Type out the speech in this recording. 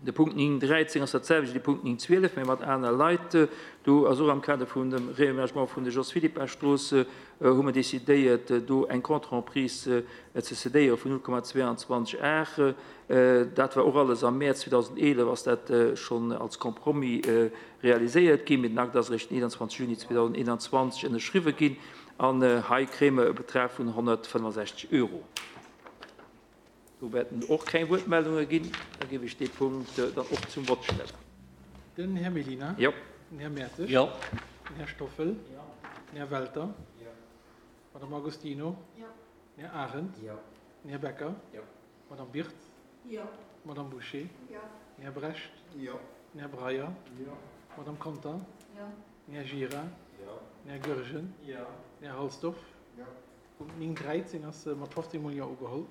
De Punkt 9, 13 ass dat selwecht wéi de Punkt 9, 12, mä mat aner Leit. Do ass och am Kader vun dem Réaménagement vun der Jos Philippart-Strooss hu mer decidéiert, do eng Contre-emprise ze cédéiere vun 0,22 Ar. Dat war och alles am Mäerz 2011 ass dat schonn als Compromis realiséiert ginn, mee den Akt ass eréischt den 21 Juni 2021 ënnerschriwwe ginn. An hei kréie mer e Betrag vun 165 Euro. Do wäerten och keng Wuertmeldunge ginn. Da géif ech dee Punkt dann och zum Vott stellen. Den Här Mellina. Jo. Den Här Mertes. Jo. Den Här Stoffel. Jo. Den Här Welter. Jo. D'Madame Agostino. Jo. Den Här Arendt. Jo. Den Här Becker. Jo. D'Madame Birtz. Jo. D'Madame Bouché. Jo. Den Här Brecht. Jo. Den Här Breyer. Jo. D'Madame Conter. Jo. Den Här Gira. Jo. Den Här Goergen. Jo. Den Här Halsdorf. Jo. Punkt 9, 13 ass mat 15 mol Jo ugeholl.